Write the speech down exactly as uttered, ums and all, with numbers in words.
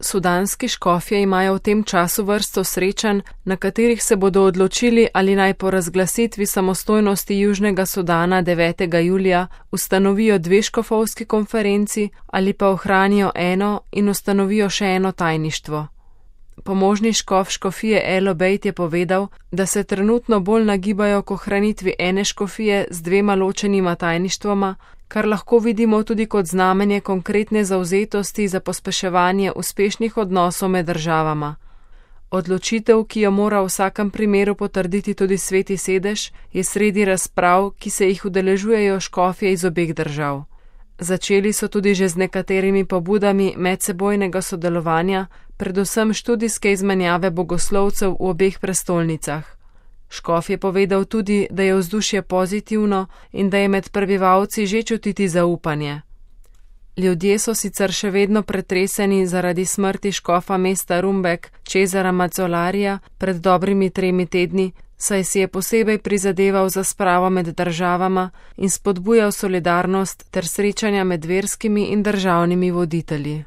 Sudanski škofje imajo v tem času vrsto srečanj, na katerih se bodo odločili, ali naj po razglasitvi samostojnosti Južnega Sudana devetega julija ustanovijo dve škofovski konferenci ali pa ohranijo eno in ustanovijo še eno tajništvo. Pomožni škof škofije El Obeid je povedal, da se trenutno bolj nagibajo k ohranitvi ene škofije z dvema ločenima tajništvoma, kar lahko vidimo tudi kot znamenje konkretne zavzetosti za pospeševanje uspešnih odnosov med državama. Odločitev, ki jo mora v vsakem primeru potrditi tudi Sveti sedež, je sredi razprav, ki se jih udeležujejo škofje iz obeh držav. Začeli so tudi že z nekaterimi pobudami medsebojnega sodelovanja, predvsem študijske izmenjave bogoslovcev v obeh prestolnicah. Škof je povedal tudi, da je vzdušje pozitivno in da je med prebivalci že čutiti zaupanje. Ljudje so sicer še vedno pretreseni zaradi smrti škofa mesta Rumbek, Cesara Mazzolarija, pred dobrimi tremi tedni, saj si je posebej prizadeval za spravo med državama in spodbujal solidarnost ter srečanja med verskimi in državnimi voditelji.